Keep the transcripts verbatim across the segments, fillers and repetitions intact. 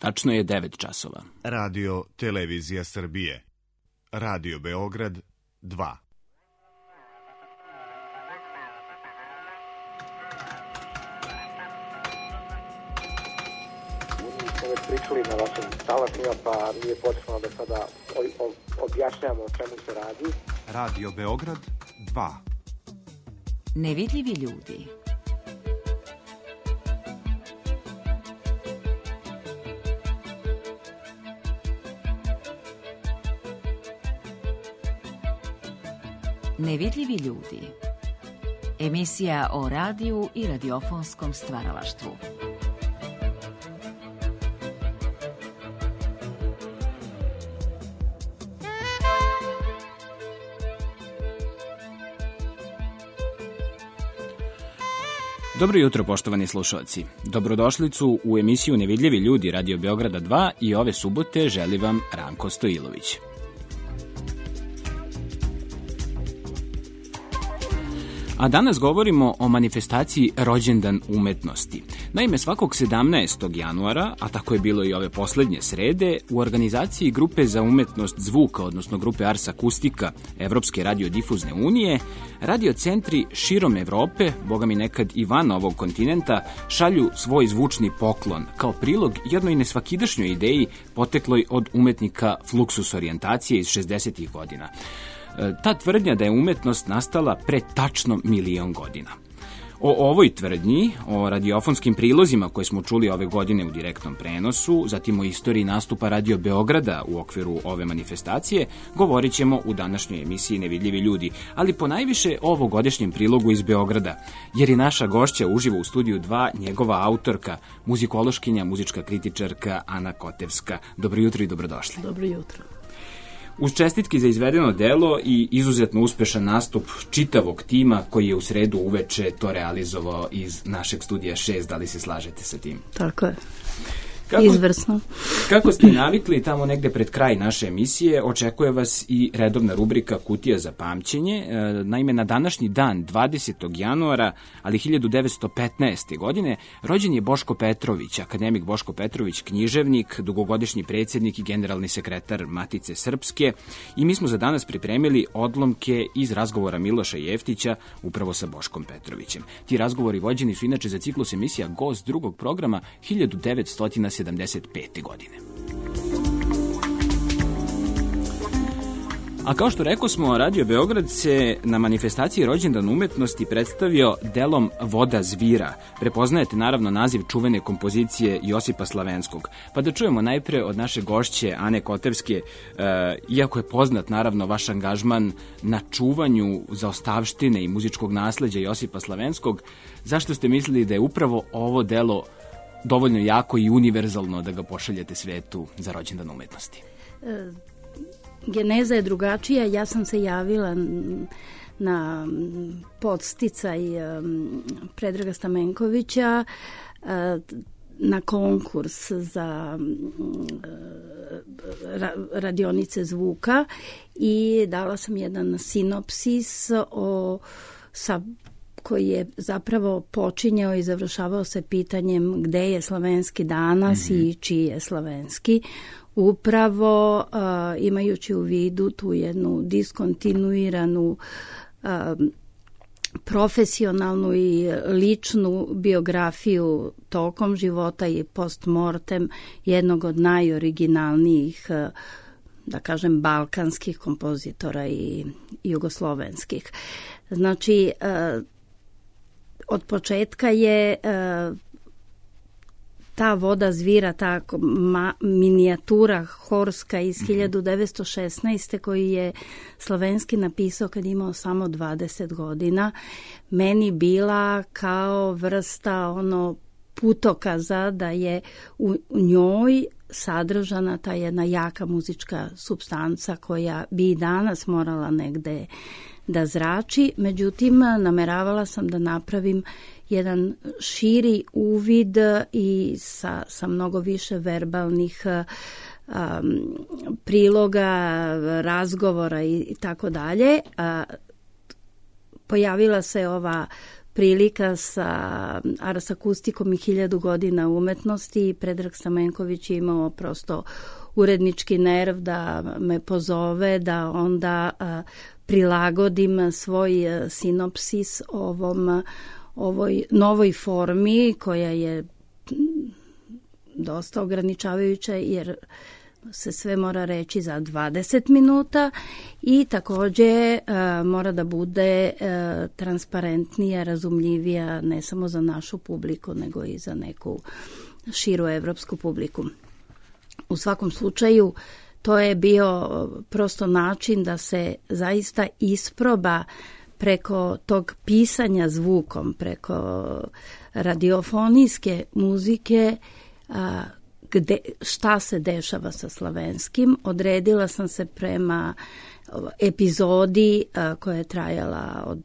Tačno je devet časova. Radio Televizija Srbije. Radio Beograd dva. Već pričali na vašim talasima, pa nije potrebno da sada objašnjamo o čemu se radi. Radio Beograd dva. Nevidljivi ljudi. Nevidljivi ljudi. Emisija o radiju i radiofonskom stvaralaštvu. Dobro jutro, poštovani slušalci. Dobrodošlicu u emisiju Nevidljivi ljudi Radio Beograda dva i ove subote želi vam Ranko Stojilović. A danas govorimo o manifestaciji Rođendan umetnosti. Naime, svakog sedamnaestog januara, a tako je bilo i ove poslednje srede, u organizaciji Grupe za umetnost zvuka, odnosno Grupe Ars Akustika Evropske radiodifuzne unije, radiocentri širom Evrope, boga mi nekad i van ovog kontinenta, šalju svoj zvučni poklon, kao prilog jednoj nesvakidašnjoj ideji potekloj od umetnika Fluxus orijentacije iz šezdesetih godina. Ta tvrdnja da je umetnost nastala pre tačno milion godina. O ovoj tvrdnji, o radiofonskim prilozima koje smo čuli ove godine u direktnom prenosu, zatim o istoriji nastupa Radio Beograda u okviru ove manifestacije, govorit ćemo u današnjoj emisiji Nevidljivi ljudi, ali ponajviše o ovogodišnjem prilogu iz Beograda, jer je naša gošća uživo u studiju dva njegova autorka, muzikološkinja, muzička kritičarka Ana Kotevska. Dobro jutro i dobrodošli. Dobro jutro. Uz čestitki za izvedeno delo i izuzetno uspešan nastup čitavog tima koji je u sredu uveče to realizovao iz našeg studija šest, da li se slažete sa tim? Tako je. Kako, Izvrsno. Kako ste navikli, tamo negde pred kraj naše emisije očekuje vas i redovna rubrika Kutija za pamćenje. Naime, na današnji dan, dvadesetog januara, ali hiljadu devetsto petnaeste. godine, rođen je Boško Petrović, akademik Boško Petrović, književnik, dugogodišnji predsjednik i generalni sekretar Matice Srpske, i mi smo za danas pripremili odlomke iz razgovora Miloša Jeftića upravo sa Boškom Petrovićem. Ti razgovori vođeni su inače za ciklus emisija Gost drugog programa hiljadu devetsto sedamdeset pete. godine. A kao što rekao smo, Radio Beograd se na manifestaciji Rođendan umetnosti predstavio delom Voda zvira. Prepoznajete naravno naziv čuvene kompozicije Josipa Slavenskog. Pa da čujemo najpre od naše gošće Ane Kotevske, e, iako je poznat naravno vaš angažman na čuvanju zaostavštine i muzičkog nasleđa Josipa Slavenskog, zašto ste mislili da je upravo ovo delo dovoljno jako i univerzalno da ga pošaljete svetu za Rođendan umetnosti? E, geneza je drugačija. Ja sam se javila na podsticaj Predraga Stamenkovića na konkurs za radionice zvuka i dala sam jedan sinopsis o sa koji je zapravo počinjao i završavao se pitanjem gde je Slavenski danas mm-hmm. i čiji je Slavenski. Upravo uh, imajući u vidu tu jednu diskontinuiranu uh, profesionalnu i ličnu biografiju tokom života i postmortem jednog od najoriginalnijih, uh, da kažem, balkanskih kompozitora i jugoslovenskih. Znači, uh, od početka je uh, ta Voda zvira, ta ma, minijatura horska iz hiljadu devetsto šesnaeste. koji je Slavenski napisao kad je imao samo dvadeset godina, meni bila kao vrsta ono putokaza da je u njoj sadržana ta jedna jaka muzička supstanca koja bi i danas morala negde da zrači. Međutim, nameravala sam da napravim jedan širi uvid i sa, sa mnogo više verbalnih um, priloga, razgovora i, i tako dalje. Pojavila se ova prilika sa Ars Akustikom i hiljadu godina umetnosti. Predrag Stamenković je imao prosto urednički nerv da me pozove, da onda a, prilagodim svoj a, sinopsis ovom, ovoj novoj formi koja je dosta ograničavajuća jer se sve mora reći za dvadeset minuta i takođe a, mora da bude a, transparentnija, razumljivija ne samo za našu publiku nego i za neku širu evropsku publiku. U svakom slučaju to je bio prosto način da se zaista isproba preko tog pisanja zvukom, preko radiofonijske muzike, a, gde, šta se dešava sa slavenskim. Odredila sam se prema epizodi a, koja je trajala od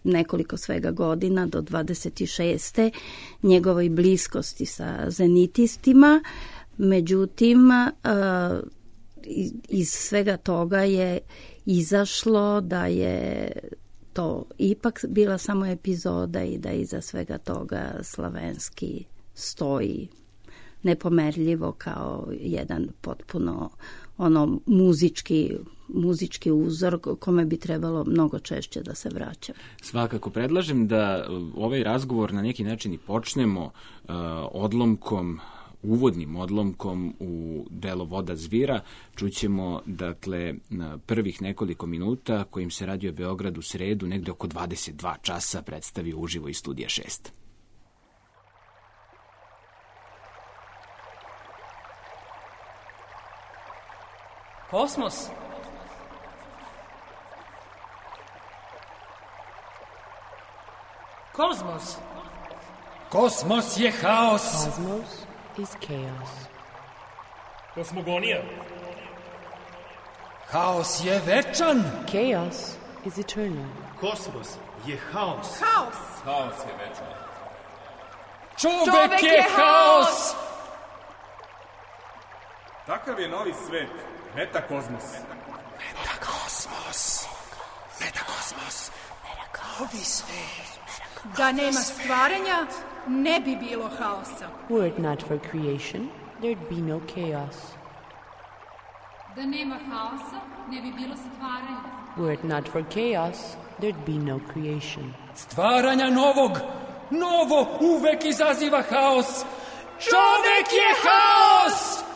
nekoliko svega godina do dvadeset šeste njegovoj bliskosti sa zenitistima. Međutim, a, iz svega toga je izašlo da je to ipak bila samo epizoda i da iza svega toga slavenski stoji nepomerljivo kao jedan potpuno ono muzički, muzički uzor kome bi trebalo mnogo češće da se vraća. Svakako predlažem da ovaj razgovor na neki način i počnemo uh, odlomkom uvodnim odlomkom u delo Voda zvira. Čućemo, dakle, na prvih nekoliko minuta kojim se Radio Beograd u sredu negde oko dvadeset dva časa predstavio uživo iz studija šest. Kosmos. Kozmos. Kosmos je haos. Cosmos is chaos. Kosmogonija. Haos je večan. Chaos is eternal. Kosmos je haos. Haos. Haos je večan. Čovek, Čovek je haos. Takav je novi svet. Metakozmos. Metakosmos. Metakosmos. Novi svet. Da nema stvaranja, ne bi bilo haosa. Were it not for creation, there'd be no chaos. Da nema haosa, ne bi bilo stvaranja. Were it not for chaos, there'd be no creation. Stvaranja novog, novo uvek izaziva haos. Čovek je haos!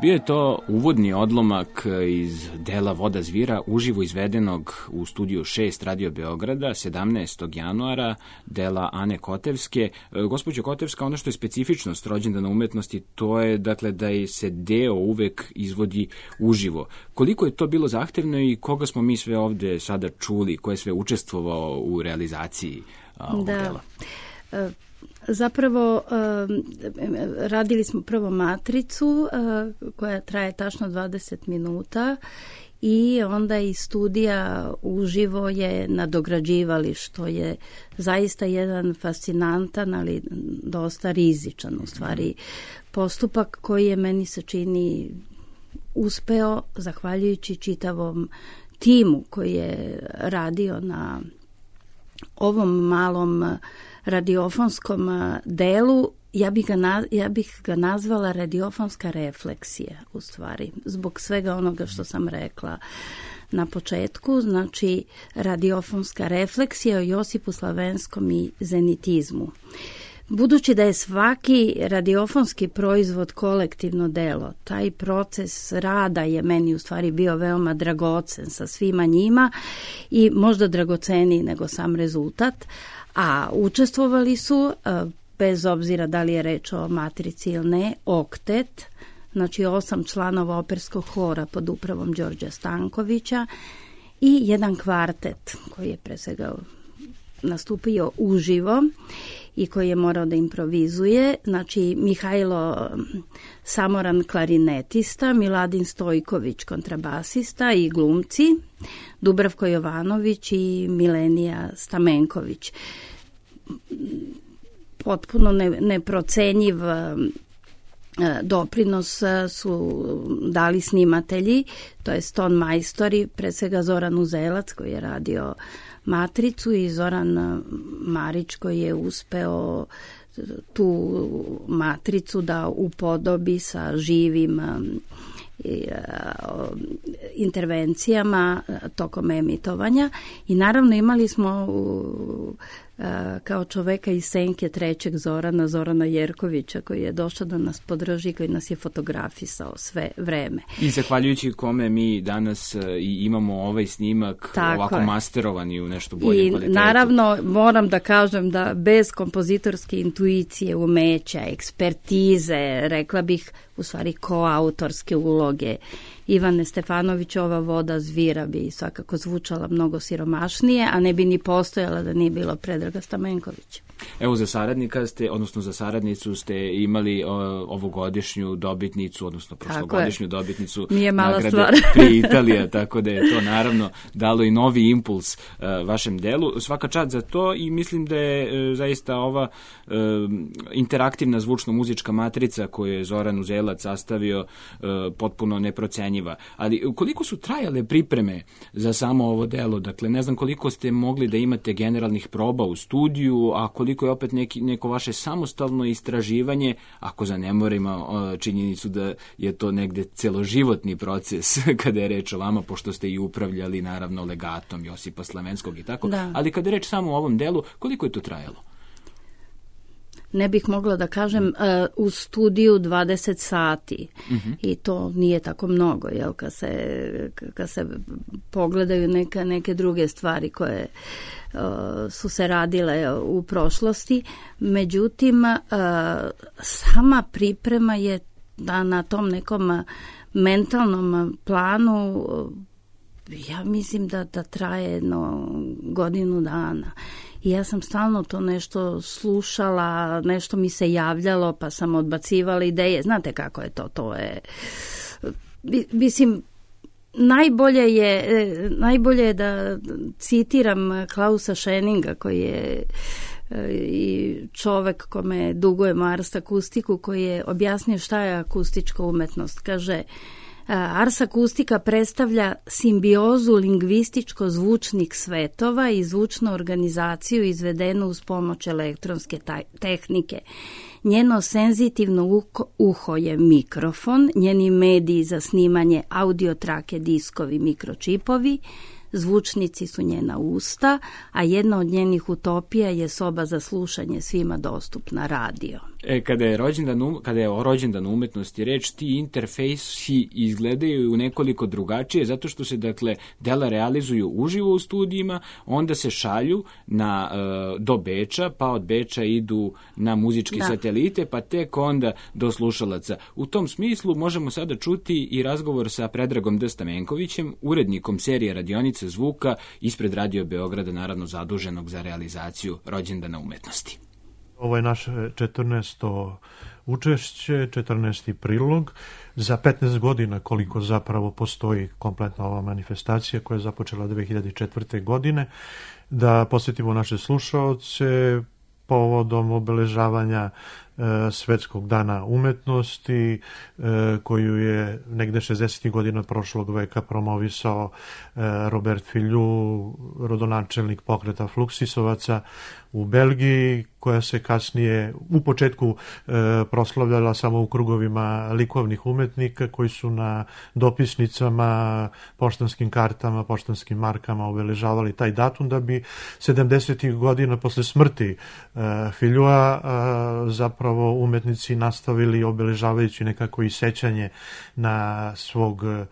Bio je to uvodni odlomak iz dela Voda zvira, uživo izvedenog u studiju šest Radio Beograda, sedamnaestog januara, dela Ane Kotevske. Gospođo Kotevska, ono što je specifičnost rođendana umetnosti, to je dakle da je se deo uvek izvodi uživo. Koliko je to bilo zahtevno i koga smo mi sve ovde sada čuli, ko je sve učestvovao u realizaciji ovog da. dela? Uh, Zapravo radili smo prvo matricu koja traje tačno dvadeset minuta i onda i studija uživo je nadograđivali, što je zaista jedan fascinantan, ali dosta rizičan u stvari postupak koji je, meni se čini, uspeo zahvaljujući čitavom timu koji je radio na ovom malom radiofonskom delu, ja bih ga, ja bih ga nazvala radiofonska refleksija, u stvari, zbog svega onoga što sam rekla na početku, znači radiofonska refleksija o Josipu Slavenskom i zenitizmu. Budući da je svaki radiofonski proizvod kolektivno delo, taj proces rada je meni u stvari bio veoma dragocen sa svima njima i možda dragoceniji nego sam rezultat, a učestvovali su, bez obzira da li je reč o matrici ili ne, oktet, znači osam članova operskog hora pod upravom Đorđa Stankovića i jedan kvartet koji je pre svega nastupio uživo i koji je morao da improvizuje, znači Mihajlo Samoran klarinetista, Miladin Stojković kontrabasista i glumci, Dubravko Jovanović i Milenija Stamenković. Potpuno ne, neprocenjiv doprinos su dali snimatelji, to je ton majstori, pre svega Zoran Uzelac koji je radio Matricu i Zoran Marić koji je uspeo tu Matricu da upodobi sa živim intervencijama tokom emitovanja i naravno imali smo kao čoveka iz senke trećeg Zorana, Zorana Jerkovića koji je došao da nas podrži, koji nas je fotografisao sve vreme. I zahvaljujući kome mi danas i imamo ovaj snimak tako ovako je masterovan i u nešto boljem kvalitetu. I naravno moram da kažem da bez kompozitorske intuicije, umeća, ekspertize, rekla bih u stvari koautorske uloge Ivane Stefanović, ova voda zvira bi svakako zvučala mnogo siromašnije, a ne bi ni postojala da nije bilo Predraga Stamenkovića. Evo za saradnika ste, odnosno za saradnicu ste imali o, ovogodišnju dobitnicu, odnosno prošlogodišnju dobitnicu nagrade Pri Italija, tako da je to naravno dalo i novi impuls uh, vašem delu. Svaka čast za to i mislim da je uh, zaista ova uh, interaktivna zvučno-muzička matrica koju je Zoran Uzelac sastavio uh, potpuno neprocenjiva. Ali koliko su trajale pripreme za samo ovo delo? Dakle, ne znam koliko ste mogli da imate generalnih proba u studiju, a koliko je opet neki, neko vaše samostalno istraživanje, ako zanemorimo činjenicu da je to negde celoživotni proces kada je reč o vama, pošto ste i upravljali naravno legatom Josipa Slavenskog i tako, da. Ali kada je reč samo o ovom delu, koliko je to trajalo? Ne bih mogla da kažem, uh, u studiju dvadeset sati uh-huh. i to nije tako mnogo, jel, kad se, kad se pogledaju neka, neke druge stvari koje uh, su se radile u prošlosti. Međutim, uh, sama priprema je da na tom nekom mentalnom planu, ja mislim da, da traje jedno godinu dana. I ja sam stalno to nešto slušala, nešto mi se javljalo, pa sam odbacivala ideje. Znate kako je to? To je, mislim, najbolje je, najbolje je da citiram Klausa Scheninga, koji je i čovek kome dugujemo Ars akustiku, koji je objasnio šta je akustička umetnost. Kaže, Ars akustika predstavlja simbiozu lingvističko-zvučnih svetova i zvučnu organizaciju izvedenu uz pomoć elektronske tehnike. Njeno senzitivno uho je mikrofon, njeni mediji za snimanje audio trake, diskovi, mikročipovi, zvučnici su njena usta, a jedna od njenih utopija je soba za slušanje svima dostupna, radio. E, kada je rođendan, kada je o rođendan umetnosti reč, ti interfejsi izgledaju u nekoliko drugačije, zato što se, dakle, dela realizuju uživo u studijima, onda se šalju na, uh, do Beča, pa od Beča idu na muzičke da. satelite, pa tek onda do slušalaca. U tom smislu možemo sada čuti i razgovor sa Predragom D. Stamenkovićem, urednikom serije Radionica zvuka ispred Radio Beograda, naravno zaduženog za realizaciju rođendana umetnosti. Ovo je naše četrnaesto učešće, četrnaesti prilog. Za petnaest godina koliko zapravo postoji kompletna ova manifestacija koja je započela dve hiljade četvrte. godine. Da posjetimo naše slušaoce povodom obeležavanja Svetskog dana umetnosti, koju je negde šezdesetih godina prošlog veka promovisao Robert Filliou, rodonačelnik pokreta Fluksisovaca u Belgiji, koja se kasnije u početku e, proslavljala samo u krugovima likovnih umetnika koji su na dopisnicama, poštanskim kartama, poštanskim markama obeležavali taj datum, da bi sedamdesetih godina posle smrti e, Filliua e, zapravo umetnici nastavili obeležavajući nekako i sećanje na svog e,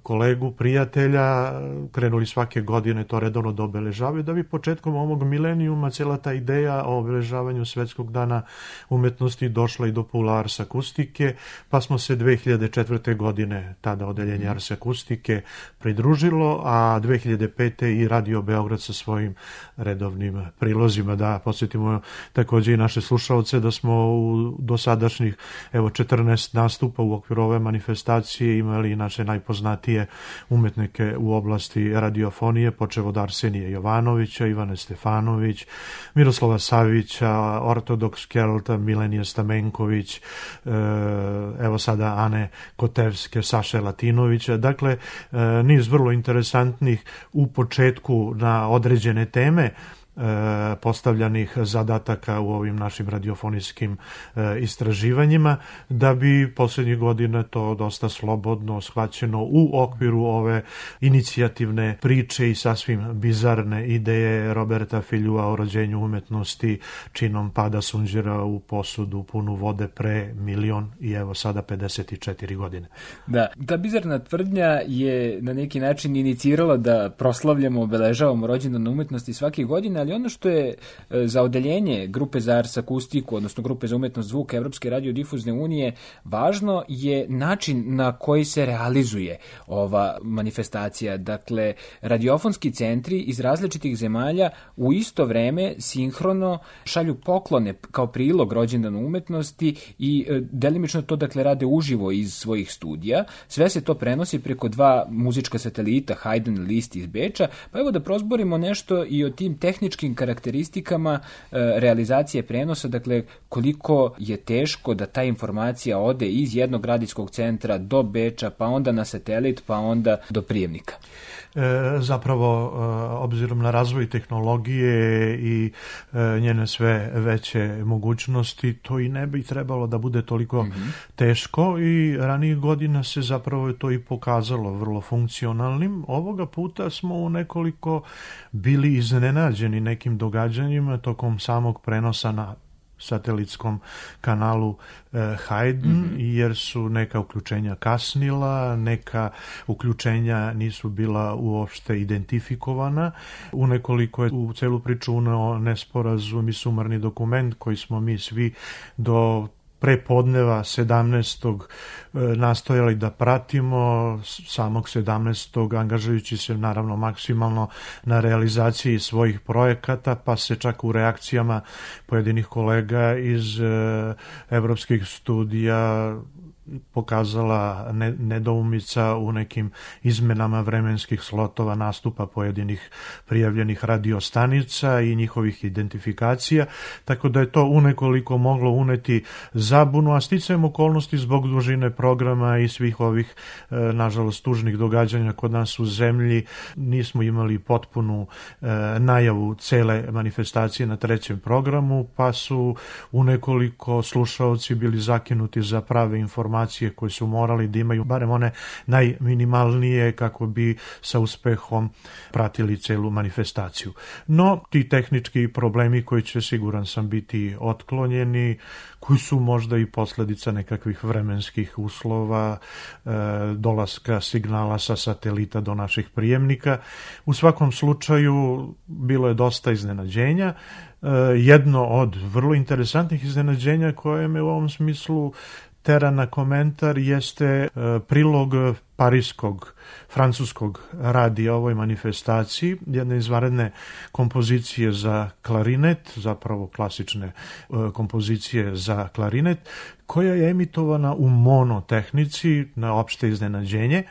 kolegu, prijatelja, krenuli svake godine to redovno da obeležavaju, da bi početkom ovog milenijuma cela ta ideja o obeležavanju Svetskog dana umetnosti došla i do Pula Ars Akustike, pa smo se dve hiljade četvrte. godine tada odeljenje Ars Akustike pridružilo, a dve hiljade pete. i Radio Beograd sa svojim redovnim prilozima. Da podsjetimo takođe i naše slušalce da smo u dosadašnjih evo četrnaest nastupa u okviru ove manifestacije imali i naše najpoznatije umetnike u oblasti radiofonije, počev od Arsenija Jovanovića, Ivane Stefanović, Miroslava Savića, Ortodoks Kelta, Milenije Stamenković, evo sada Ane Kotevske, Saše Latinovića. Dakle, niz vrlo interesantnih u početku na određene teme postavljanih zadataka u ovim našim radiofonijskim istraživanjima, da bi poslednjih godina to dosta slobodno shvaćeno u okviru ove inicijativne priče i sasvim bizarne ideje Roberta Fillioua o rođenju umetnosti činom pada sunđera u posudu punu vode pre milion i evo sada pedeset četiri godine. Da, ta bizarna tvrdnja je na neki način inicirala da proslavljamo, obeležavamo rođendan umetnosti svake godine, ali ono što je za odeljenje Grupe za Ars Akustiku, odnosno Grupe za umetnost zvuka Evropske radiodifuzne unije, važno je način na koji se realizuje ova manifestacija. Dakle, radiofonski centri iz različitih zemalja u isto vreme sinhrono šalju poklone kao prilog rođendanu umetnosti i delimično to dakle rade uživo iz svojih studija. Sve se to prenosi preko dva muzička satelita, Haydn i Liszt iz Beča, pa evo da prozborimo nešto i o tim tehničkim karakteristikama e, realizacije prenosa, dakle koliko je teško da ta informacija ode iz jednog radijskog centra do Beča, pa onda na satelit, pa onda do prijemnika. E, zapravo, e, obzirom na razvoj tehnologije i e, njene sve veće mogućnosti, to i ne bi trebalo da bude toliko mm-hmm. teško i ranijih godina se zapravo to i pokazalo vrlo funkcionalnim. Ovoga puta smo u nekoliko bili iznenađeni nekim događanjima tokom samog prenosa na satelitskom kanalu e, Haydn, mm-hmm. jer su neka uključenja kasnila, neka uključenja nisu bila uopšte identifikovana. U nekoliko je u celu priču uneo nesporazum i sumarni dokument koji smo mi svi do prepodneva sedamnaestog nastojali da pratimo, samog sedamnaestog angažujući se naravno maksimalno na realizaciji svojih projekata, pa se čak u reakcijama pojedinih kolega iz evropskih studija pokazala nedoumica u nekim izmenama vremenskih slotova nastupa pojedinih prijavljenih radiostanica i njihovih identifikacija, tako da je to unekoliko moglo uneti zabunu, a sticajem okolnosti zbog dužine programa i svih ovih, nažalost, tužnih događanja kod nas u zemlji, nismo imali potpunu najavu cele manifestacije na trećem programu, pa su unekoliko slušaoci bili zakinuti za prave informacije koje su morali da imaju, barem one najminimalnije, kako bi sa uspehom pratili celu manifestaciju. No, ti tehnički problemi koji će, siguran sam, biti otklonjeni, koji su možda i posledica nekakvih vremenskih uslova, e, dolaska signala sa satelita do naših prijemnika. U svakom slučaju bilo je dosta iznenađenja. E, jedno od vrlo interesantnih iznenađenja koje me u ovom smislu tera na komentar jeste prilog parijskog, francuskog radija ovoj manifestaciji, jedne izvanredne kompozicije za klarinet, zapravo klasične kompozicije za klarinet, koja je emitovana u monotehnici na opšte iznenađenje,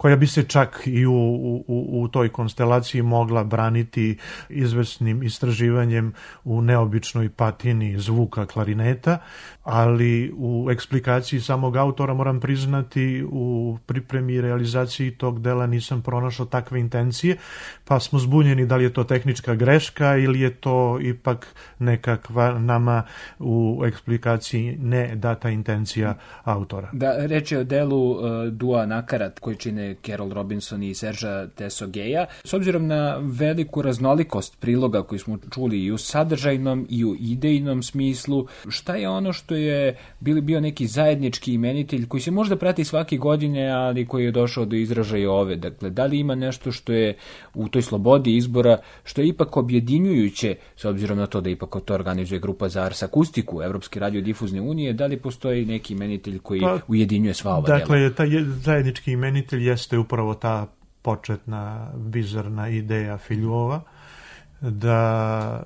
koja bi se čak i u, u, u toj konstelaciji mogla braniti izvesnim istraživanjem u neobičnoj patini zvuka klarineta, ali u eksplikaciji samog autora moram priznati u pripremi i realizaciji tog dela nisam pronašao takve intencije, pa smo zbunjeni da li je to tehnička greška ili je to ipak nekakva nama u eksplikaciji ne data intencija autora. Da, reč je o delu uh, Dua Nakarat koji čine Carol Robinson i Serža Tesogeja. S obzirom na veliku raznolikost priloga koji smo čuli i u sadržajnom i u idejnom smislu, šta je ono što je bili bio neki zajednički imenitelj koji se možda prati svake godine, ali koji je došao do izražaja ove? Dakle, da li ima nešto što je u toj slobodi izbora, što je ipak objedinjujuće, s obzirom na to da ipak to organizuje grupa za Ars Akustiku Evropske radiodifuzne unije, da li postoji neki imenitelj koji pa, ujedinjuje sva ova dakle, dela? Dakle, taj zajednički imenitelj jeste upravo ta početna bizarna ideja Filjova, da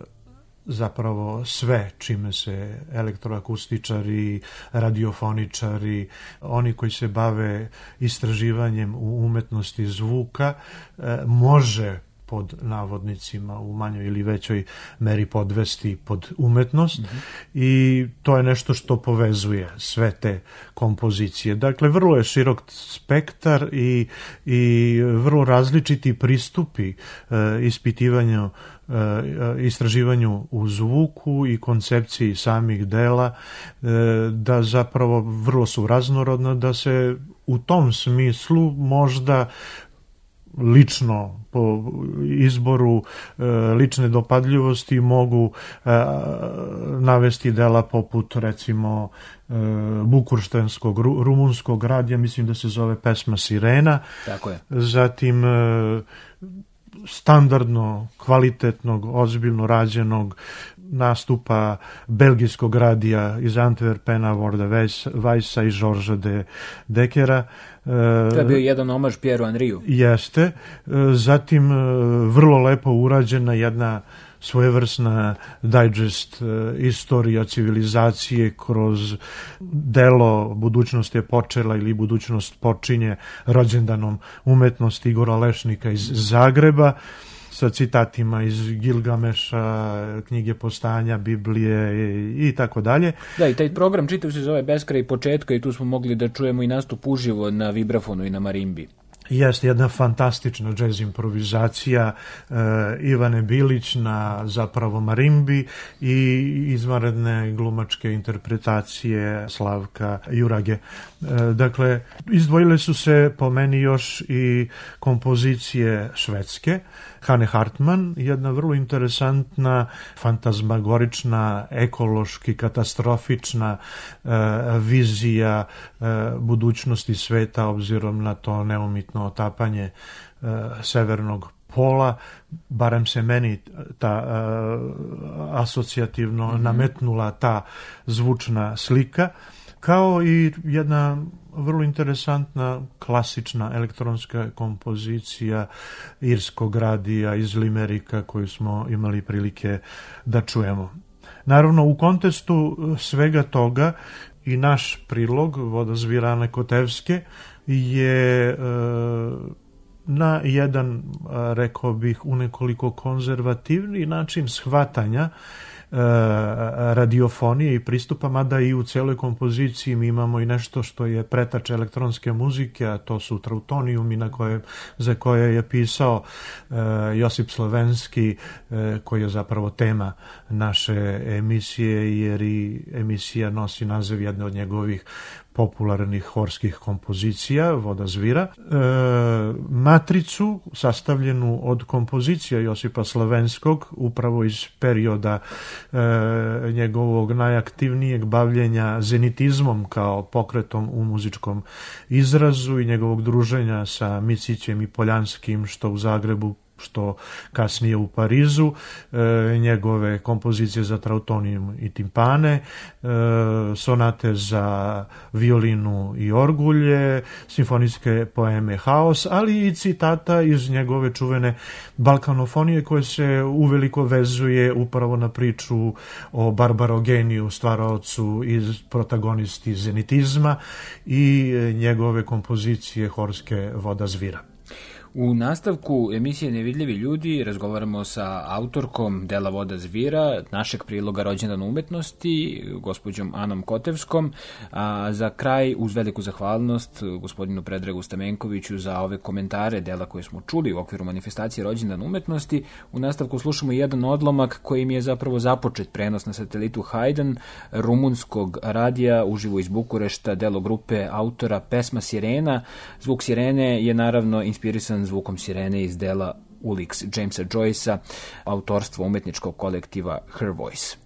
zapravo sve čime se elektroakustičari, radiofoničari, oni koji se bave istraživanjem u umetnosti zvuka, može pod navodnicima u manjoj ili većoj meri podvesti pod umetnost, mm-hmm. i to je nešto što povezuje sve te kompozicije. Dakle, vrlo je širok spektar i, i vrlo različiti pristupi e, ispitivanju, e, istraživanju u zvuku i koncepciji samih dela, e, da zapravo vrlo su raznorodna, da se u tom smislu možda lično po izboru lične dopadljivosti mogu navesti dela poput recimo bukurštanskog rumunskog radija, mislim da se zove Pesma Sirena. Tako je. Zatim standardno, kvalitetnog, ozbiljno rađenog nastupa belgijskog radija iz Antwerpena, Vorda Weissa i Georgesa de Dekera. To je bio jedan omaž Pieru Henriju. Jeste. Zatim vrlo lepo urađena jedna svojevrsna digest istorija civilizacije kroz delo Budućnost je počela ili Budućnost počinje rođendanom umetnosti Igora Lešnika iz Zagreba, sa citatima iz Gilgameša, knjige Postanja, Biblije i tako dalje. Da, i taj program čitav se zove Beskraj početka i tu smo mogli da čujemo i nastup uživo na vibrafonu i na marimbi. Jeste jedna fantastična džez improvizacija e, Ivane Bilić na zapravo marimbi i izvanredne glumačke interpretacije Slavka Jurage. E, dakle, izdvojile su se po meni još i kompozicije švedske, Hane Hartman, jedna vrlo interesantna, fantazmagorična, ekološki katastrofična e, vizija e, budućnosti sveta obzirom na to neumitno otapanje e, severnog pola, barem se meni ta e, asocijativno mm-hmm. nametnula ta zvučna slika, kao i jedna vrlo interesantna klasična elektronska kompozicija irskog radija iz Limerika koju smo imali prilike da čujemo. Naravno, u kontekstu svega toga i naš prilog Vodozvira Ane Kotevske je e, na jedan, rekao bih, u nekoliko konzervativni način shvatanja radiofonije i pristupa, mada i u celoj kompoziciji mi imamo i nešto što je pretač elektronske muzike, a to su trautonijumi na koje, za koje je pisao uh, Josip Slovenski, uh, koji je zapravo tema naše emisije, jer i emisija nosi naziv jedne od njegovih popularnih horskih kompozicija, Vodozvira. E, matricu sastavljenu od kompozicija Josipa Slovenskog, upravo iz perioda e, njegovog najaktivnijeg bavljenja zenitizmom kao pokretom u muzičkom izrazu i njegovog druženja sa Micićem i Poljanskim, što u Zagrebu što kasnije u Parizu, e, njegove kompozicije za trautonijum i timpane, e, sonate za violinu i orgulje, simfonijske poeme Haos, ali i citata iz njegove čuvene balkanofonije koje se uveliko vezuje upravo na priču o Barbarogeniju, stvaraocu iz protagonisti zenitizma, i njegove kompozicije horske Voda zvira. U nastavku emisije Nevidljivi ljudi razgovaramo sa autorkom dela Voda zvira, našeg priloga Rođendan umetnosti, gospođom Anom Kotevskom, a za kraj uz veliku zahvalnost gospodinu Predragu Stamenkoviću za ove komentare dela koje smo čuli u okviru manifestacije Rođendan umetnosti. U nastavku slušamo jedan odlomak kojim je zapravo započet prenos na satelitu Hajdn, rumunskog radija uživo iz Bukurešta, delo grupe autora Pesma sirena. Zvuk sirene je naravno inspirisan zvukom sirene iz dela Ulix Jamesa Joycea, autorstvo umetničkog kolektiva Her Voice.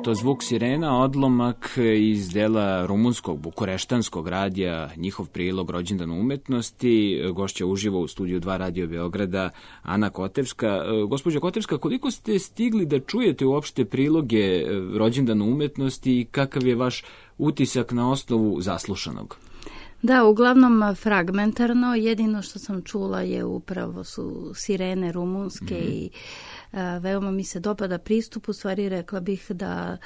To zvuk sirena, odlomak iz dela rumunskog bukureštanskog radija, njihov prilog Rođendan umetnosti. Gošća uživo u studiju dva Radio Beograda, Ana Kotevska. Gospođo Kotevska, koliko ste stigli da čujete uopšte priloge Rođendan umetnosti i kakav je vaš utisak na osnovu zaslušanog? Da, uglavnom fragmentarno. Jedino što sam čula je upravo su sirene rumunske mm-hmm. i a, veoma mi se dopada pristup. U stvari rekla bih da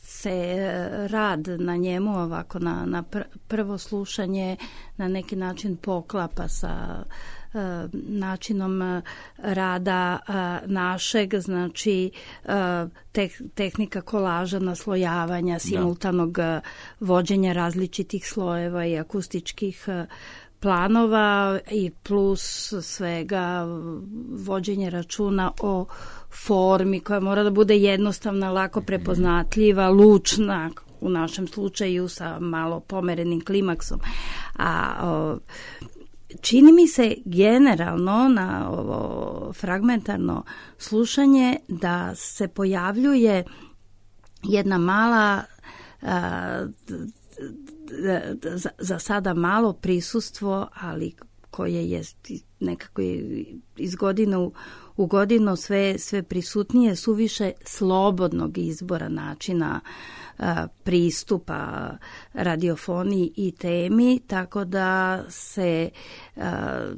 se rad na njemu ovako na, na prvo slušanje na neki način poklapa sa načinom rada našeg, znači tehnika kolaža, naslojavanja, simultanog vođenja različitih slojeva i akustičkih planova i plus svega vođenje računa o formi koja mora da bude jednostavna, lako prepoznatljiva, lučna, u našem slučaju sa malo pomerenim klimaksom. A o, čini mi se generalno na ovo fragmentarno slušanje da se pojavljuje jedna mala a, za, za sada malo prisustvo, ali koje je nekako iz godine u, u godinu sve, sve prisutnije, suviše slobodnog izbora načina a, pristupa radiofoniji i temi, tako da se a,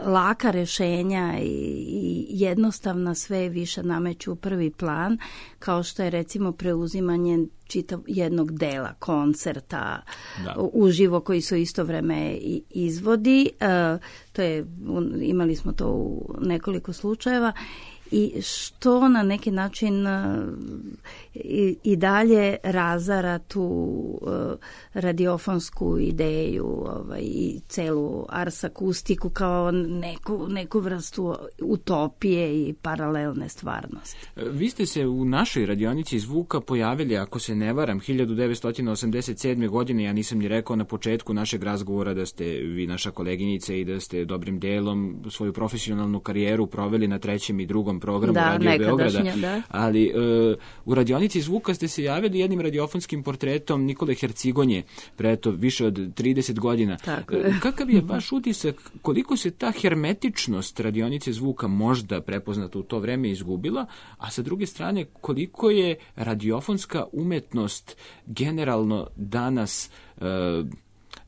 laka rešenja i, i jednostavna sve više nameću u prvi plan, kao što je recimo preuzimanje čitav jednog dela koncerta da. uživo koji su isto vreme izvodi. E, to je, imali smo to u nekoliko slučajeva. I što na neki način i, i dalje razara tu uh, radiofonsku ideju ovaj, i celu ars akustiku kao neku, neku vrstu utopije i paralelne stvarnosti. Vi ste se u našoj radionici zvuka pojavili, ako se ne varam, hiljadu devetsto osamdeset sedme. godine, ja nisam ni rekao na početku našeg razgovora da ste vi naša koleginica i da ste dobrim delom svoju profesionalnu karijeru proveli na trećem i drugom programu da, Radio Beograda, da. ali uh, u radionici zvuka ste se javili jednim radiofonskim portretom Nikole Hercigonje pre to više od trideset godina. Uh, kakav je vaš utisak, koliko se ta hermetičnost radionice zvuka možda prepoznata u to vreme izgubila, a sa druge strane koliko je radiofonska umetnost generalno danas uh,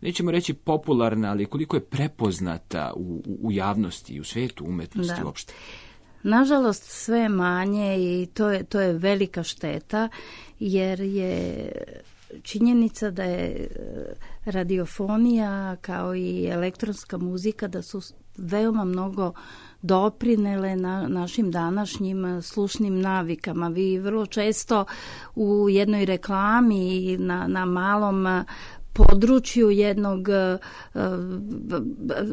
nećemo reći popularna, ali koliko je prepoznata u, u javnosti i u svetu umetnosti da. uopšte? Nažalost, sve manje i to je, to je velika šteta, jer je činjenica da je radiofonija kao i elektronska muzika da su veoma mnogo doprinele na našim današnjim slušnim navikama. Vi vrlo često u jednoj reklami na, na malom području jednog,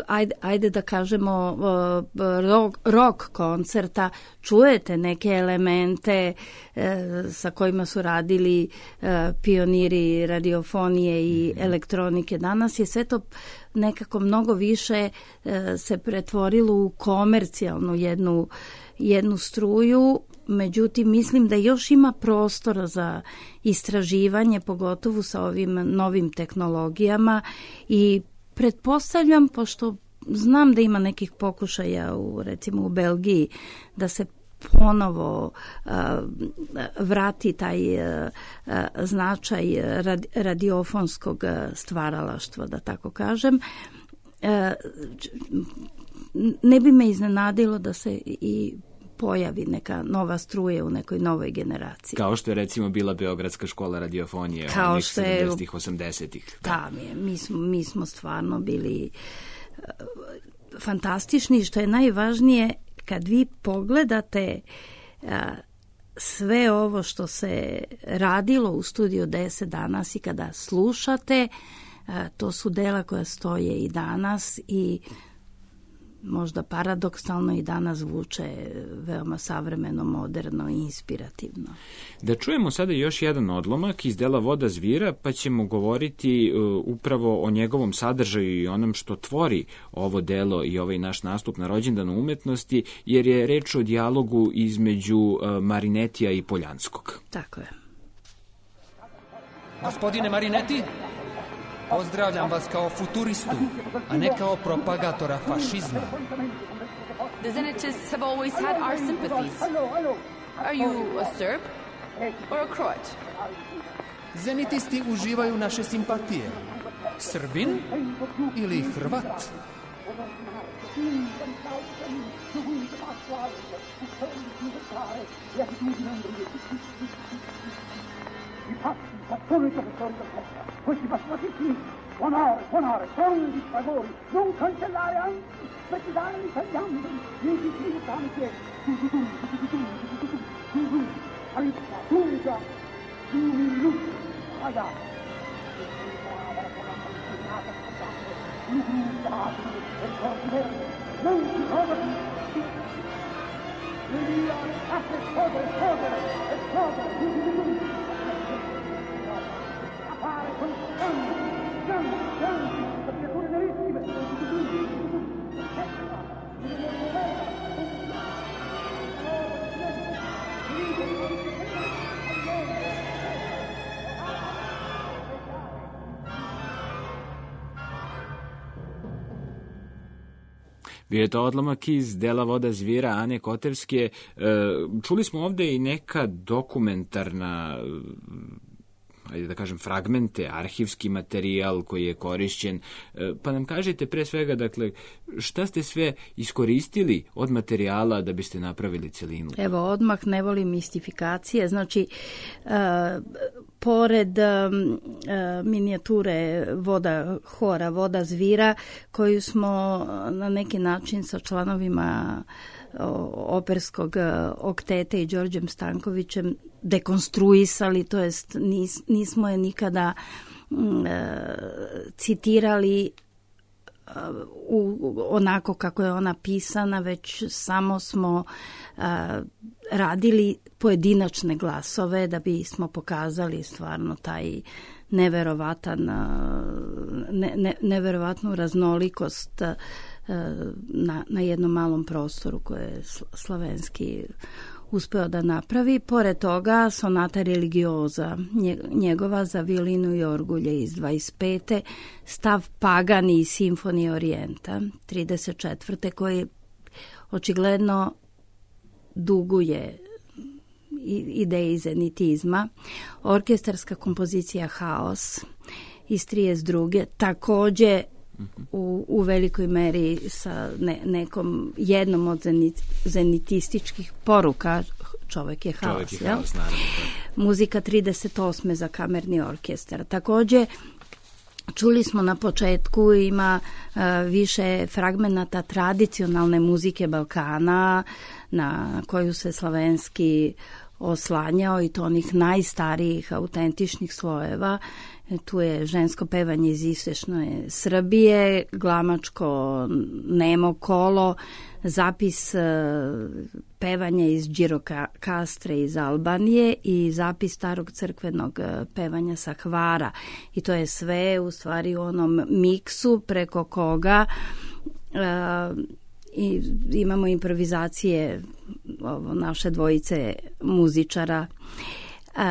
ajde, ajde da kažemo, rock, rock koncerta, čujete neke elemente sa kojima su radili pioniri radiofonije i elektronike. Danas je sve to nekako mnogo više se pretvorilo u komercijalnu jednu, jednu struju. Međutim, mislim da još ima prostora za istraživanje, pogotovo sa ovim novim tehnologijama i pretpostavljam, pošto znam da ima nekih pokušaja u, recimo u Belgiji, da se ponovo uh, vrati taj uh, uh, značaj radi, radiofonskog stvaralaštva, da tako kažem. Uh, ne bi me iznenadilo da se i pojavi neka nova struja u nekoj novoj generaciji. Kao što je recimo bila Beogradska škola radiofonije kao onih što je sedamdesetih, osamdesetih. Da, mi, mi, smo, mi smo stvarno bili uh, fantastični, što je najvažnije kad vi pogledate uh, sve ovo što se radilo u Studiju deset danas i kada slušate, uh, to su dela koja stoje i danas i možda paradoksalno i danas zvuče veoma savremeno, moderno i inspirativno. Da čujemo sada još jedan odlomak iz dela Voda zvira, pa ćemo govoriti uh, upravo o njegovom sadržaju i onom što tvori ovo delo i ovaj naš nastup na rođendanu umetnosti, jer je reč o dijalogu između uh, Marinetija i Poljanskog. Tako je. Gospodine Marineti, pozdravljam vas kao futuristu, a ne kao propagatora fašizma. The Zenitists have always had our sympathies. Are you a Serb or a Croat? Zenitisti uživaju naše simpatije. Srbin ili Hrvat? Questi bastardi qui, buonore, buonore, sono di favori, non cancellare anzi, perché dare l'italiano, mi dici tante, tu tu tu, tu tu tu, tu tu tu, tu alippa, tunga, tu mi luce, raga. Non si trova più. Devi esplodere, esplodere, esplodere, tu tu tu. Appare con sangue, sangue, sangue, creature nerissime. Bio je to odlomak iz dela Voda zvira Ane Kotevske. Čuli smo ovde i neka dokumentarna, ajde da kažem, fragmente, arhivski materijal koji je korišćen. Pa nam kažete pre svega, dakle, šta ste sve iskoristili od materijala da biste napravili celinu? Evo, odmah ne volim mistifikacije. Znači, uh, pored um, uh, minijature voda hora, Voda zvira, koju smo na neki način sa članovima operskog okteta i Đorđem Stankovićem dekonstruisali, to jest nis, nismo je nikada mm, citirali u, onako kako je ona pisana, već samo smo a, radili pojedinačne glasove da bismo pokazali stvarno taj neverovatan, ne, ne, neverovatnu raznolikost na, na jednom malom prostoru koje je Slavenski uspeo da napravi. Pored toga, sonata religioza njegova za violinu i orgulje iz dvadeset pete, stav Pagani i simfonije Orijenta trideset četvrte koji očigledno duguje ideji zenitizma, orkestarska kompozicija Haos iz trideset druge takođe u, u velikoj meri sa ne, nekom jednom od zenit, zenitističkih poruka Čovek je haos. Čovek je haos, naravno. Muzika trideset osme za kamerni orkestar. Takođe, čuli smo na početku, ima uh, više fragmenata tradicionalne muzike Balkana na koju se slavenski oslanjao i to onih najstarijih autentičnih slojeva. Tu je žensko pevanje iz istočne Srbije, glamačko nemo kolo, zapis pevanja iz Đirokastre iz Albanije i zapis starog crkvenog pevanja sa Hvara. I to je sve u stvari u onom miksu preko koga uh, i imamo improvizacije ovo, naše dvojice muzičara. Uh,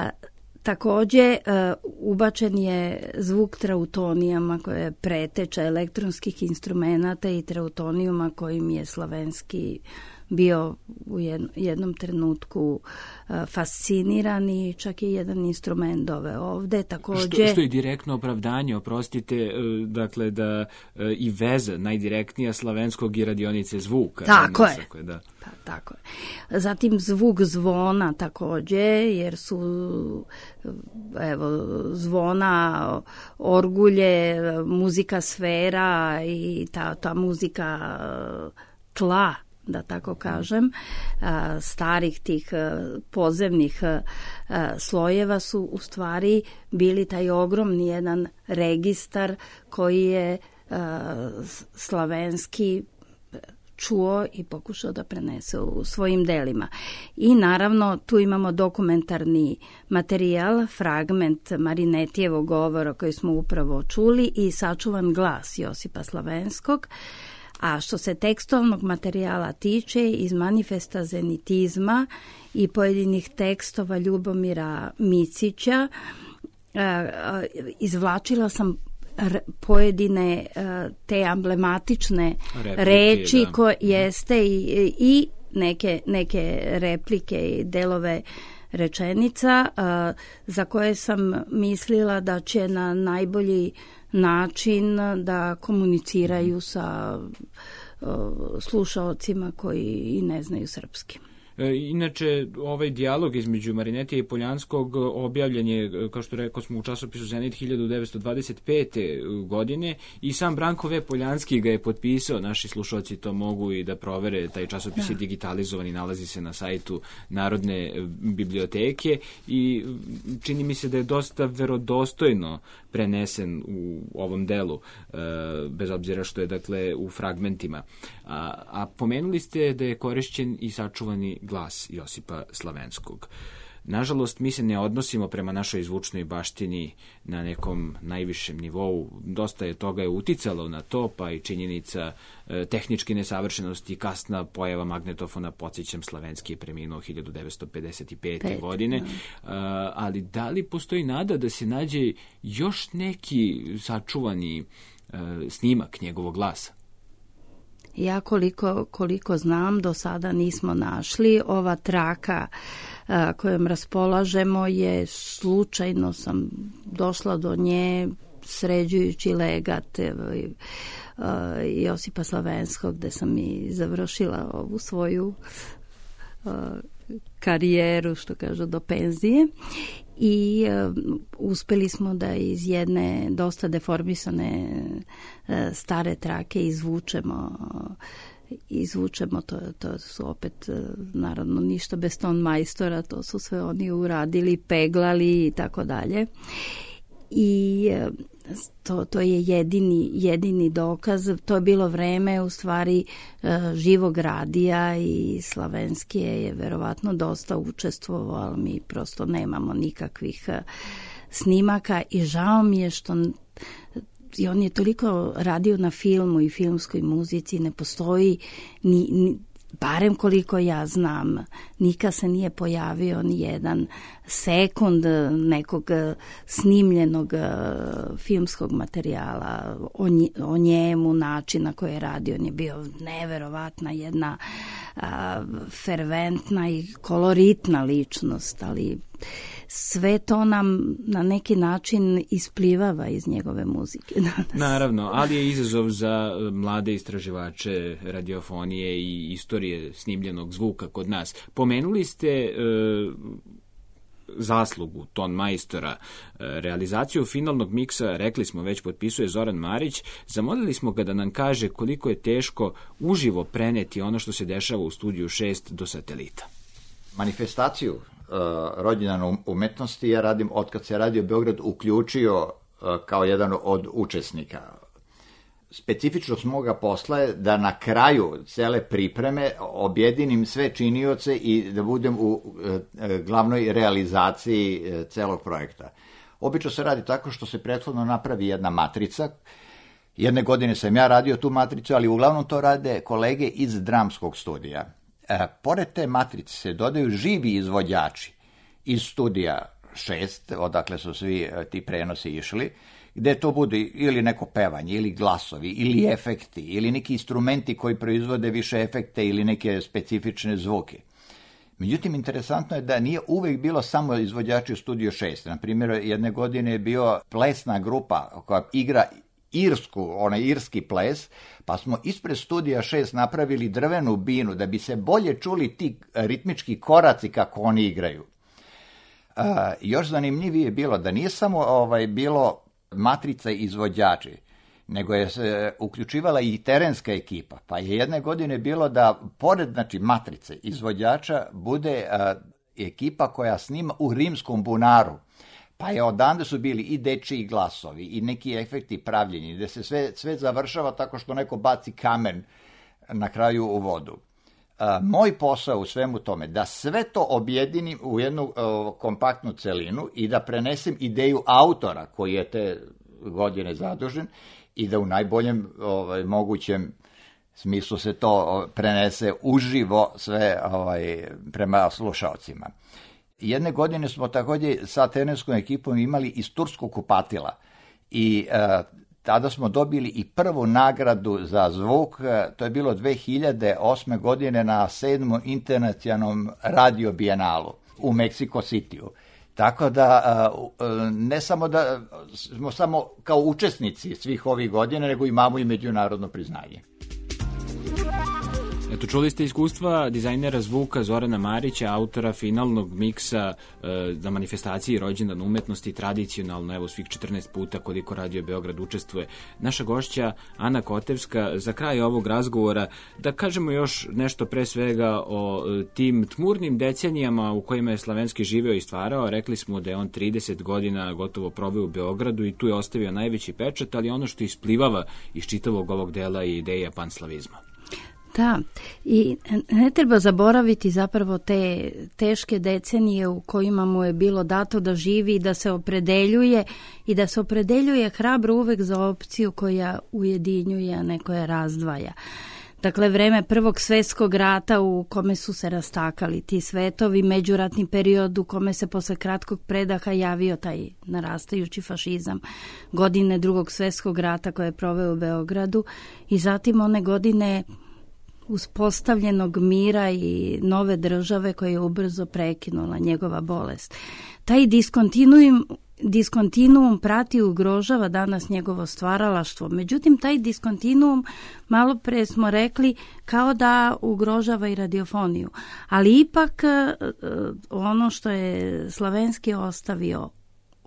Takođe, uh, ubačen je zvuk trautonijama koje je preteča elektronskih instrumenta i trautonijuma kojim je slavenski bio u jednom trenutku uh, fasciniran i čak je jedan instrument doveo ovde. Takođe, što, što je direktno opravdanje, oprostite, uh, dakle da uh, i veza najdirektnija slavenskog i radionice zvuka. Tako je. Tako je, da. Pa, tako je. Zatim zvuk zvona takođe, jer su evo, zvona, orgulje, muzika sfera i ta, ta muzika tla, da tako kažem, starih tih podzemnih slojeva su u stvari bili taj ogromni jedan registar koji je slavenski čuo i pokušao da prenese u svojim delima. I naravno tu imamo dokumentarni materijal, fragment Marinetijevog govora koji smo upravo čuli i sačuvan glas Josipa Slavenskog. A što se tekstovnog materijala tiče, iz manifesta zenitizma i pojedinih tekstova Ljubomira Micića, izvlačila sam pojedine te emblematične replike, reči da. Koje jeste i, i neke, neke replike i delove rečenica za koje sam mislila da će na najbolji način da komuniciraju sa slušaocima koji i ne znaju srpski. Inače, ovaj dijalog između Marinetija i Poljanskog objavljen je, kao što rekao smo, u časopisu Zenit hiljadu devetsto dvadeset pete. godine i sam Branko V. Poljanski ga je potpisao. Naši slušalci to mogu i da provere. Taj časopis da. je digitalizovan i nalazi se na sajtu Narodne biblioteke i čini mi se da je dosta verodostojno prenesen u ovom delu, bez obzira što je dakle u fragmentima. A, a pomenuli ste da je korišćen i sačuvani glas Josipa Slavenskog. Nažalost, mi se ne odnosimo prema našoj zvučnoj baštini na nekom najvišem nivou. Dosta je toga je uticalo na to, pa i činjenica e, tehničke nesavršenosti, kasna pojava magnetofona, podsjećam, Slavenski je preminuo hiljadu devetsto pedeset pete. Pet, godine. E, ali da li postoji nada da se nađe još neki sačuvani e, snimak njegovog glasa? Ja koliko, koliko znam, do sada nismo našli. Ova traka a, kojom raspolažemo je, slučajno sam došla do nje sređujući legat a, Josipa Slavenskog, gde sam i završila ovu svoju a, karijeru, što kažu, do penzije. I uh, uspeli smo da iz jedne dosta deformisane uh, stare trake izvučemo izvučemo to, to su opet uh, naravno ništa bez ton majstora, to su sve oni uradili, peglali i tako dalje. I uh, to, to je jedini, jedini dokaz. To je bilo vreme u stvari uh, živog radija i Slavenski je verovatno dosta učestvovao, ali mi prosto nemamo nikakvih uh, snimaka i žao mi je što i on je toliko radio na filmu i filmskoj muzici, ne postoji ni, ni barem koliko ja znam, nikad se nije pojavio ni jedan sekund nekog snimljenog filmskog materijala o, nje, o njemu, način na koji je radio. On je bio neverovatna jedna a, ferventna i koloritna ličnost, ali sve to nam na neki način isplivava iz njegove muzike. Naravno, ali je izazov za mlade istraživače radiofonije i istorije snimljenog zvuka kod nas. Pomenuli ste e, zaslugu ton majstora, realizaciju finalnog miksa, rekli smo već, potpisuje Zoran Marić. Zamolili smo ga da nam kaže koliko je teško uživo preneti ono što se dešava u studiju šest do satelita. Manifestaciju uh, rođendan umetnosti ja radim od kad se Radio Beograd uključio uh, kao jedan od učesnika. Specifičnost moga posla je da na kraju cele pripreme objedinim sve činioce i da budem u uh, glavnoj realizaciji uh, celog projekta. Obično se radi tako što se prethodno napravi jedna matrica. Jedne godine sam ja radio tu matricu, ali uglavnom to rade kolege iz dramskog studija. E, pored te matrice se dodaju živi izvođači iz studija šest, odakle su svi ti prenosi išli, gde to bude ili neko pevanje, ili glasovi, ili efekti, ili neki instrumenti koji proizvode više efekte ili neke specifične zvuke. Međutim, interesantno je da nije uvek bilo samo izvođači u studiju šest. Na primjer, jedne godine je bio plesna grupa koja igra irsku, onaj irski ples, pa smo ispred studija šest napravili drvenu binu da bi se bolje čuli ti ritmički koraci kako oni igraju. Uh, još zanimljivije je bilo da nije samo ovaj, bilo matrica izvođači, nego je se uključivala i terenska ekipa, pa je jedne godine bilo da pored znači, matrice izvođača bude uh, ekipa koja snima u rimskom bunaru. Pa je odande su bili i dečiji glasovi i neki efekti pravljeni, gde se sve, sve završava tako što neko baci kamen na kraju u vodu. A, moj posao u svemu tome da sve to objedinim u jednu o, kompaktnu celinu i da prenesem ideju autora koji je te godine zadužen i da u najboljem ovaj, mogućem smislu se to prenese uživo sve ovaj, prema slušaocima. Jedne godine smo takođe sa terenskom ekipom imali iz turskog kupatila i e, tada smo dobili i prvu nagradu za zvuk, to je bilo dve hiljade osme godine na sedmom internacionalnom radio bijenalu u Meksiko Cityu. Tako da e, ne samo da smo samo kao učesnici svih ovih godina, nego imamo i međunarodno priznanje. Eto, čuli ste iskustva dizajnera zvuka Zorana Marića, autora finalnog miksa e, na manifestaciji rođendan umetnosti, tradicionalno, evo svih četrnaest puta koliko Radio Beograd učestvuje. Naša gošća Ana Kotevska, za kraj ovog razgovora, da kažemo još nešto pre svega o e, tim tmurnim decenijama u kojima je Slavenski živeo i stvarao. Rekli smo da je on trideset godina gotovo proveo u Beogradu i tu je ostavio najveći pečat, ali ono što isplivava iz čitavog ovog dela je ideja panslavizma. Da, i ne treba zaboraviti zapravo te teške decenije u kojima mu je bilo dato da živi i da se opredeljuje i da se opredeljuje hrabro uvek za opciju koja ujedinjuje, a ne koja razdvaja. Dakle, vreme Prvog svetskog rata u kome su se rastakali ti svetovi, međuratni period u kome se posle kratkog predaha javio taj narastajući fašizam, godine Drugog svetskog rata koje je proveo u Beogradu i zatim one godine uspostavljenog mira i nove države koje je ubrzo prekinula njegova bolest. Taj diskontinuum, diskontinuum prati i ugrožava danas njegovo stvaralaštvo. Međutim, taj diskontinuum, malo pre smo rekli, kao da ugrožava i radiofoniju. Ali ipak ono što je Slavenski ostavio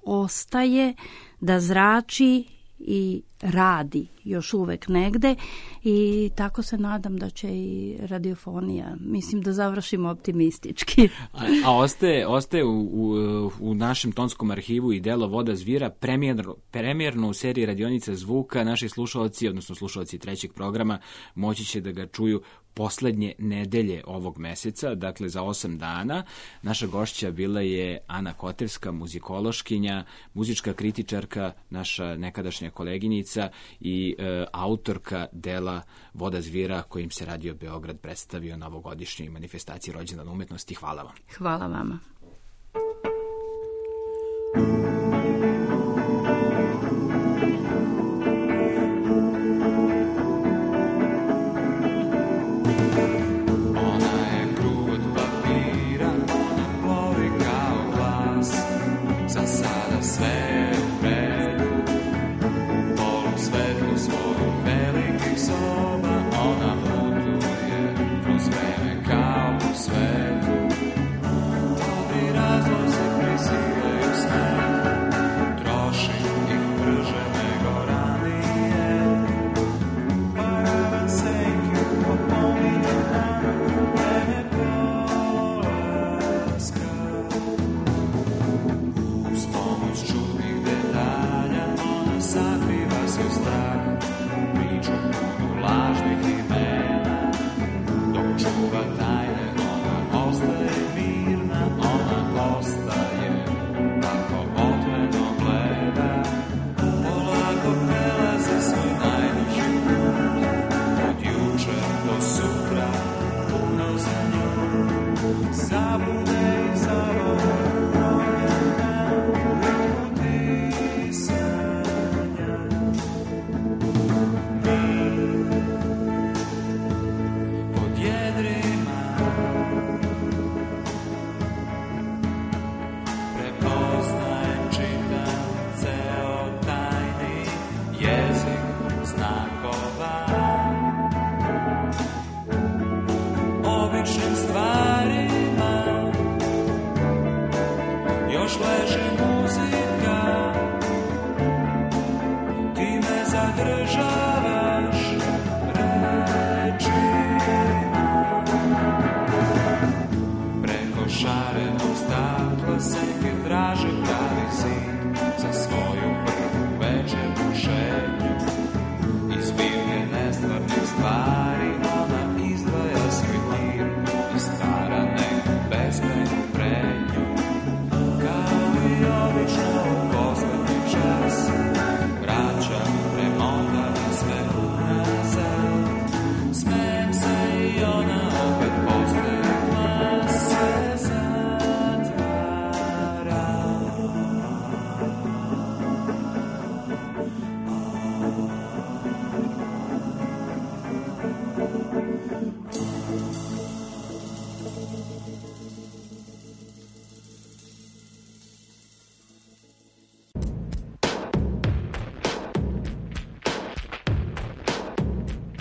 ostaje da zrači i radi još uvek negde i tako se nadam da će i radiofonija, mislim da završimo optimistički. A, a ostaje, ostaje u, u, u našem tonskom arhivu i delo Voda zvira premijerno, premijerno u seriji radionica zvuka. Naši slušalci, odnosno slušalci trećeg programa, moći će da ga čuju poslednje nedelje ovog meseca, dakle za osam dana. Naša gošća bila je Ana Kotevska, muzikološkinja, muzička kritičarka, naša nekadašnja koleginica i e, autorka dela Voda zvira kojim se Radio Beograd predstavio na ovogodišnjoj manifestaciji rođendan umetnosti. Hvala vam. Hvala vama. Ona je krut papira, plovi kao glas.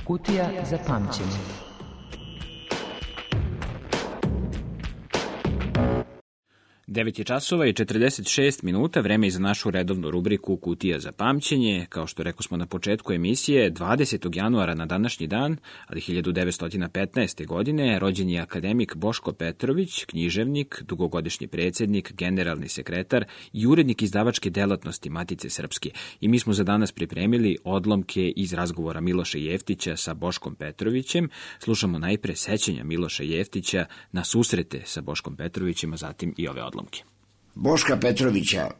Kutija za pamćenje. devet je časova i četrdeset šest minuta, vreme je za našu redovnu rubriku Kutija za pamćenje. Kao što rekao smo na početku emisije, dvadesetog januara na današnji dan, ali hiljadu devetsto petnaeste. godine, rođen je akademik Boško Petrović, književnik, dugogodišnji predsjednik, generalni sekretar i urednik izdavačke delatnosti Matice Srpske. I mi smo za danas pripremili odlomke iz razgovora Miloša Jeftića sa Boškom Petrovićem. Slušamo najpre sećanja Miloša Jeftića na susrete sa Boškom Petrovićem, a zatim i ove odlomke. Boška Petrovića,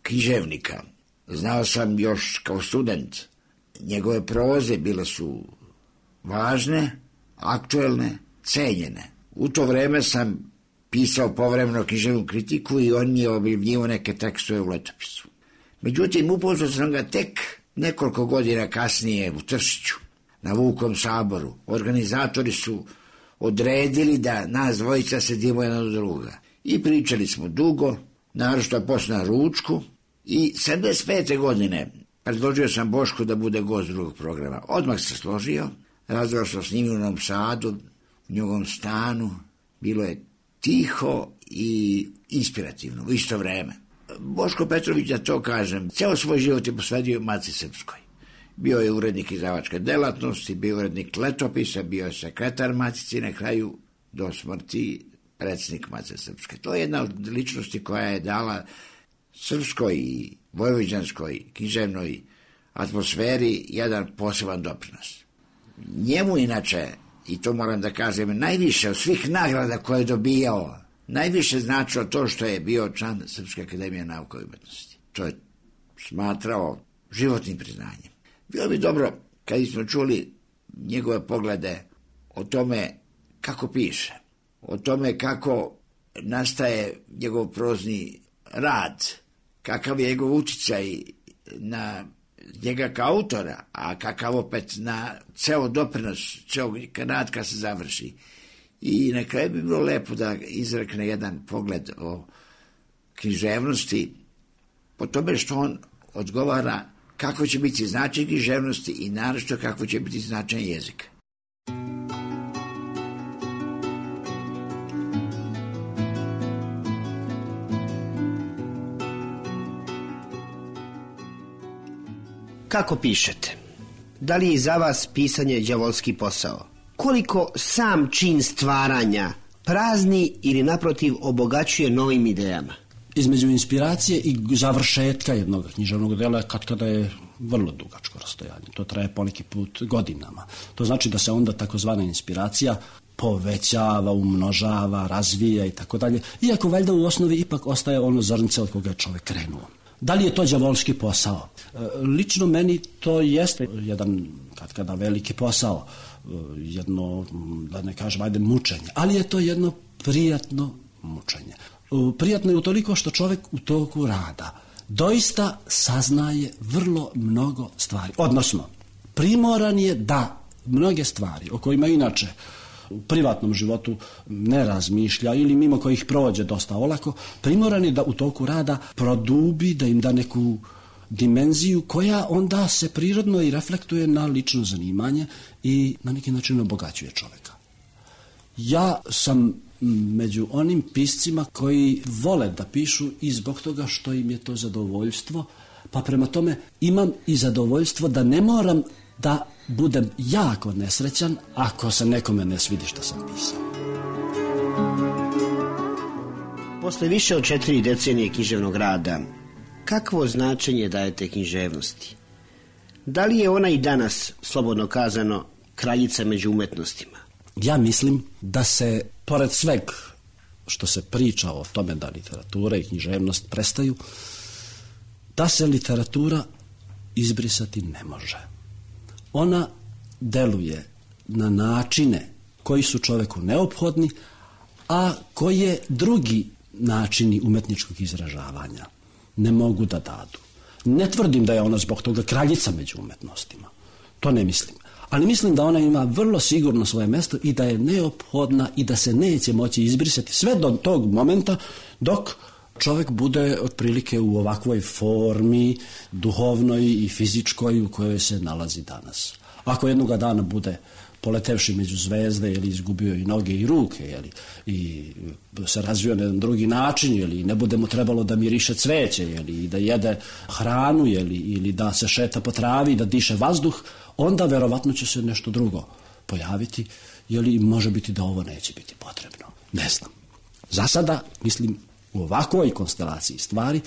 književnika, znao sam još kao student. Njegove proze bile su važne, aktuelne, cenjene. U to vreme sam pisao povremeno književnu kritiku i on je objavljivao neke tekstove u letopisu. Međutim, upoznao sam ga tek nekoliko godina kasnije u Tršiću, na Vukom saboru. Organizatori su odredili da nas dvojica sedimo jedan od druga. I pričali smo dugo, naročito posle na ručku, i sedamdeset pete. godine predložio sam Bošku da bude gost drugog programa. Odmah se složio, razgovarao sam s njim u Novom Sadu, u njegovom stanu, bilo je tiho i inspirativno u isto vreme. Boško Petrović, da to kažem, ceo svoj život je posvedio Matici Srpskoj. Bio je urednik izdavačke delatnosti, bio je urednik letopisa, bio je sekretar Matici, na kraju do smrti predsjednik Matice Srpske. To je jedna od ličnosti koja je dala srpskoj i vojvođanskoj književnoj atmosferi jedan poseban doprinos. Njemu inače, i to moram da kažem, najviše od svih nagrada koje je dobijao, najviše značilo to što je bio član Srpske akademije nauka i umetnosti. To je smatrao životnim priznanjem. Bilo bi dobro kad smo čuli njegove poglede o tome kako piše, o tome kako nastaje njegov prozni rad, kakav je njegov uticaj na njega kao autora, a kakav opet na ceo doprinos, ceo rad kad se završi. I na kraju bi bilo lepo da izrekne jedan pogled o književnosti, po tome što on odgovara kako će biti značaj književnosti i naročito kako će biti značaj jezika. Kako pišete? Da li je za vas pisanje đavolski posao? Koliko sam čin stvaranja prazni ili naprotiv obogaćuje novim idejama? Između inspiracije i završetka jednog književnog dela kad kada je vrlo dugačko rastojanje. To traje poneki put godinama. To znači da se onda takozvana inspiracija povećava, umnožava, razvija i tako dalje. Iako valjda u osnovi ipak ostaje ono zrnce od koga je čovjek krenuo. Da li je to đavolski posao? Lično meni to jeste jedan kad kada veliki posao, jedno, da ne kažem, ajde mučenje, ali je to jedno prijatno mučenje. Prijatno je utoliko što čovjek u toku rada doista saznaje vrlo mnogo stvari. Odnosno, primoran je da mnoge stvari o kojima inače u privatnom životu ne razmišlja ili mimo kojih prođe dosta olako, primoran je da u toku rada produbi, da im da neku dimenziju koja onda se prirodno i reflektuje na lično zanimanje i na neki način obogaćuje čovjeka. Ja sam među onim piscima koji vole da pišu i zbog toga što im je to zadovoljstvo, pa prema tome imam i zadovoljstvo da ne moram da budem jako nesrećan ako se nekome ne svidi što sam pisao. Posle više od četiri decenije književnog rada, kakvo značenje dajete književnosti? Da li je ona i danas, slobodno kazano, kraljica među umetnostima? Ja mislim da se, pored sveg što se priča o tome da literatura i književnost prestaju, da se literatura izbrisati ne može. Ona deluje na načine koji su čoveku neophodni, a koje drugi načini umetničkog izražavanja ne mogu da dadu. Ne tvrdim da je ona zbog toga kraljica među umetnostima. To ne mislim. Ali mislim da ona ima vrlo sigurno svoje mjesto i da je neophodna i da se neće moći izbrisati sve do tog momenta dok čovjek bude otprilike u ovakvoj formi duhovnoj i fizičkoj u kojoj se nalazi danas. Ako jednoga dana bude poletevši među zvezde ili izgubio i noge i ruke jeli, i se razvio na jedan drugi način ili ne bude mu trebalo da miriše cveće jeli, i da jede hranu jeli, ili da se šeta po travi, da diše vazduh, onda verovatno će se nešto drugo pojaviti ili može biti da ovo neće biti potrebno. Ne znam. Za sada, mislim, u ovakvoj konstelaciji stvari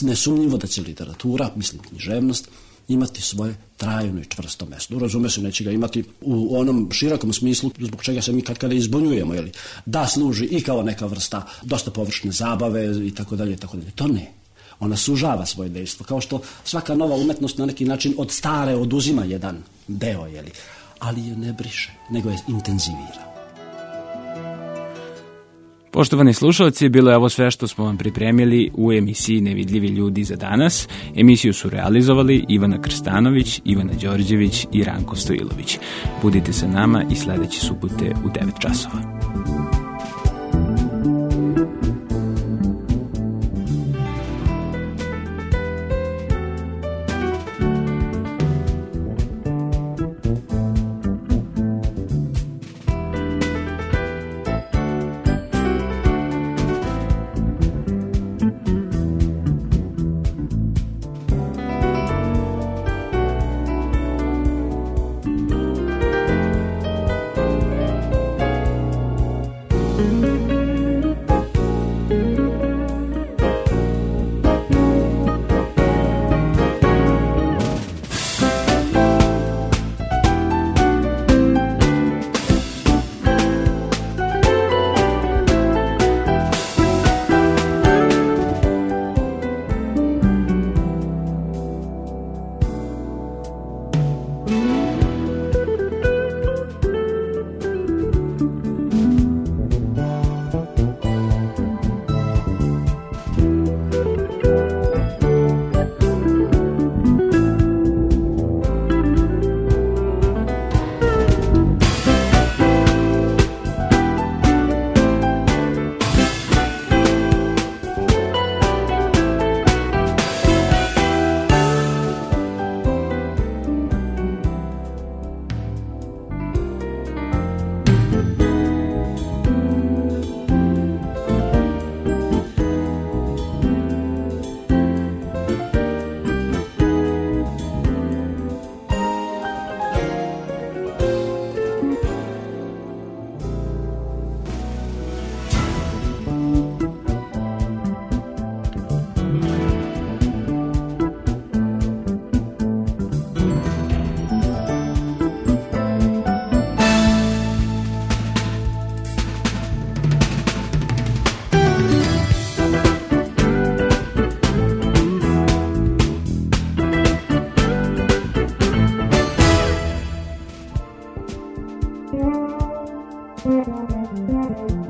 nesumnjivo da će literatura, mislim književnost, imati svoje trajno i čvrsto mesto. Razume se, neće ga imati u onom širokom smislu zbog čega se mi kad kada izbunjujemo, jeli, da služi i kao neka vrsta dosta površne zabave i tako dalje i tako dalje. To ne. Ona sužava svoje dejstvo, kao što svaka nova umetnost na neki način od stare oduzima jedan deo, jeli, ali je ne briše, nego je intenzivira. Poštovani slušalci, bilo je ovo sve što smo vam pripremili u emisiji Nevidljivi ljudi za danas. Emisiju su realizovali Ivana Krstanović, Ivana Đorđević i Ranko Stojilović. Budite sa nama i sledeće subote u devet časova. Thank you.